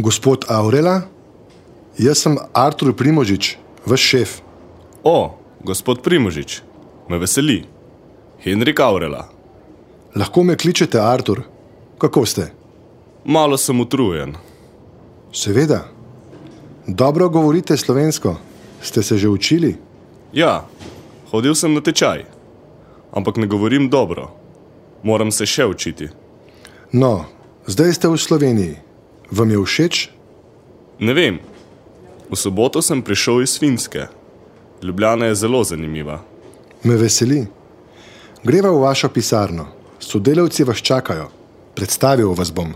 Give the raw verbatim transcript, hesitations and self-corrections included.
Gospod Aurela, jaz sem Artur Primožič, vaš šef. O, gospod Primožič, me veseli. Henrik Aurela. Lahko me kličete Artur. Kako ste? Malo sem utrujen. Seveda. Dobro govorite slovensko. Ste se že učili? Ja, hodil sem na tečaj. Ampak ne govorim dobro. Moram se še učiti. No, zdaj ste v Sloveniji. Vam je všeč? Ne vem. V soboto sem prišel iz Finske. Ljubljana je zelo zanimiva. Me veseli. Greva v vašo pisarno. Sodelavci vas čakajo. Predstavil vas bom.